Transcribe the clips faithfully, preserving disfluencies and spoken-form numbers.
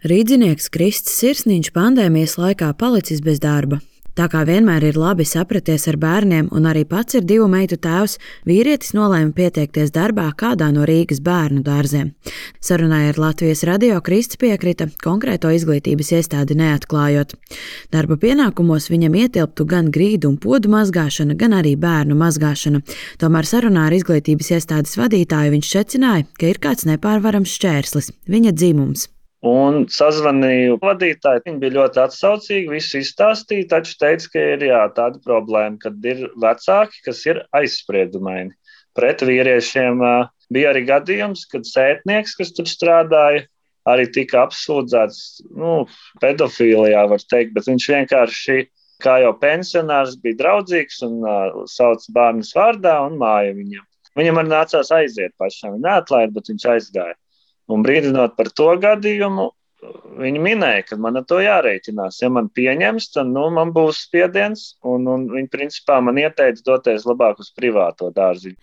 Rīdzinieks Kristis Sirsniņš pandēmijas laikā palicis bez darba. Tā kā vienmēr ir labi sapraties ar bērniem un arī pats ir divu meitu tēvs, vīrietis nolēma pieteikties darbā kādā no Rīgas bērnu dārziem. Sarunai ar Latvijas radio Kristis piekrita, konkrēto izglītības iestādi neatklājot. Darba pienākumos viņam ietilptu gan grīdu un podu mazgāšana, gan arī bērnu mazgāšana. Tomēr sarunā ar izglītības iestādes vadītāju viņš secināja, ka ir kāds nepārvarams šķērslis – viņa dzimums. Un sazvanīju vadītāju, viņi bija ļoti atsaucīgi, visu izstāstīja, taču teica, ka ir jā, tāda problēma, kad ir vecāki, kas ir aizspriedumaini. Pret vīriešiem bija arī gadījums, kad sētnieks, kas tur strādāja, arī tika apsūdzēts, nu, pedofīlijā var teikt, bet viņš vienkārši, kā jau pensionārs, bija draudzīgs un uh, sauc bērnus vārdā un māja viņam. Viņam arī nācās aiziet pašam, viņa neatlaida, bet viņš aizgāja. Un brīdinot par to gadījumu, viņi minēja, ka man ar to jārēķinās. Ja man pieņems, tad nu, man būs spiediens, un, un viņi principā man ieteica doties labāk uz privāto dārziņu.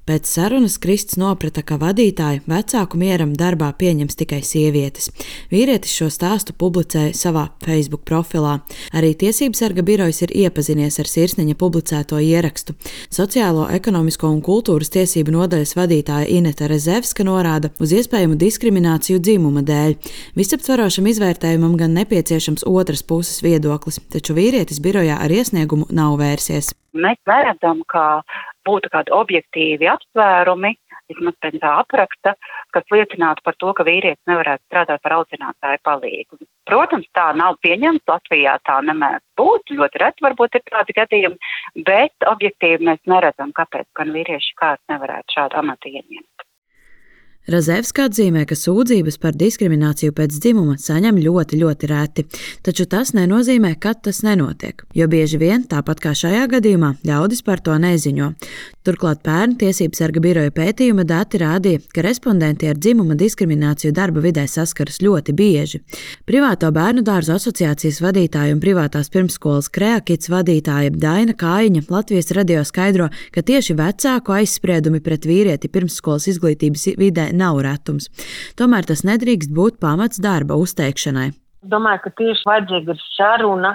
Pēc sarunas Kristis noprata, ka vadītāju vecāku mieram darbā pieņems tikai sievietes. Vīrietis šo stāstu publicēja savā Facebook profilā. Arī Tiesībsarga birojas ir iepazinies ar Sirsniņa publicēto ierakstu. Sociālo, ekonomisko un kultūras tiesību nodaļas vadītāja Ineta Rezevska norāda uz iespējamu diskrimināciju dzimuma dēļ. Visaptvarošam izvērtējumam gan nepieciešams otras puses viedoklis, taču vīrietis birojā ar iesniegumu nav vērsies. Mēs redzam, ka būtu kādi objektīvi apsvērumi, vismaz pēc tā apraksta, kas liecinātu par to, ka vīrietis nevarētu strādāt par audzinātāju palīgu. Protams, tā nav pieņemts, Latvijā tā nemēdz būt, ļoti reti varbūt ir tādi gadījumi, bet objektīvi mēs neredzam, kāpēc gan vīrieši kāds nevarētu šādu amatu ieņemt. Razevska atzīmē, ka sūdzības par diskrimināciju pēc dzimuma saņem ļoti, ļoti reti, taču tas nenozīmē, ka tas nenotiek, jo bieži vien, tāpat kā šajā gadījumā, ļaudis par to neziņo. Turklāt pērn Tiesībsarga biroja pētījuma dati rādīja, ka respondenti ar dzimuma diskrimināciju darba vidē saskaras ļoti bieži. Privāto bērnu dārzu asociācijas vadītāja un privātās pirmsskolas Kreakits vadītāja Daina Kājiņa Latvijas radio skaidro, ka tieši vecāku aizspriedumi pret vīrieti pirmsskolas izglītības vidē nav retums. Tomēr tas nedrīkst būt pamats darba uzteikšanai. Domāju, ka tieši vajadzīga ir saruna,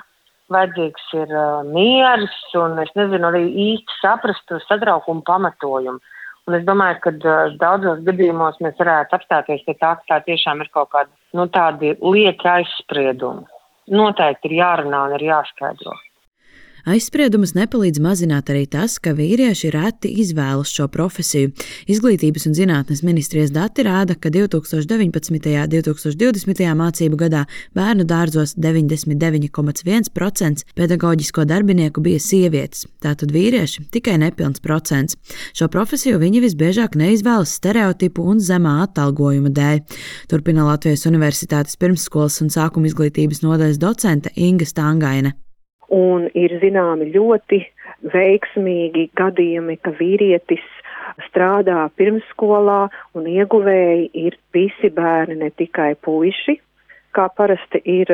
vajadzīgs ir uh, miers un es nezinu arī īsti saprast satraukumu pamatojumu. Un es domāju, ka uh, daudzos gadījumos mēs varētu apstāties pie tā, ka tā tiešām ir kaut kāda, nu, tādi lieka aizspriedumi. Noteikti ir jārunā un ir jāskaidro. Aizspriedumus nepalīdz mazināt arī tas, ka vīrieši reti izvēlas šo profesiju. Izglītības un zinātnes ministrijas dati rāda, ka divi tūkstoši deviņpadsmitajā un divi tūkstoši divdesmitajā mācību gadā bērnu dārzos deviņdesmit deviņi komats viens procents pedagoģisko darbinieku bija sievietes, tātad vīrieši tikai nepilns procents. Šo profesiju viņi visbiežāk neizvēlas stereotipu un zemā atalgojuma dēļ. Turpina Latvijas Universitātes pirmsskolas un sākuma izglītības nodaļas docente Inga Stangaine. Un ir zināmi ļoti veiksmīgi gadījumi, ka vīrietis strādā pirmsskolā un ieguvēji ir visi bērni, ne tikai puiši, kā parasti ir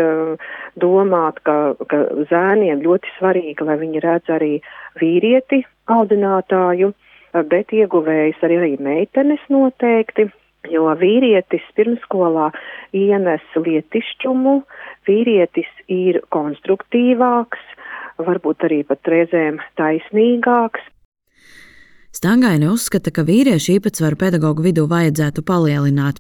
domāt, ka, ka zēniem ļoti svarīgi, lai viņi redz arī vīrieti audzinātāju, bet ieguvējis arī, arī meitenes noteikti. Jo vīrietis pirmsskolā ienes lietišķumu, vīrietis ir konstruktīvāks, varbūt arī pat reizēm taisnīgāks. Stangaine uzskata, ka vīriešu īpatsvaru pedagogu vidū vajadzētu palielināt.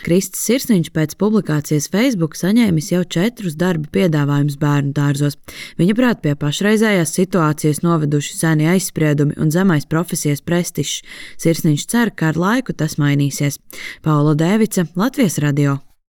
Kristis Sirsniņš pēc publikācijas Facebook saņēmis jau četrus darba piedāvājumus bērnu dārzos. Viņa prāt pie pašreizējās situācijas noveduši seni aizspriedumi un zemais profesijas prestižs. Sirsniņš cer, ka ar laiku tas mainīsies. Paula Dēvica, Latvijas radio.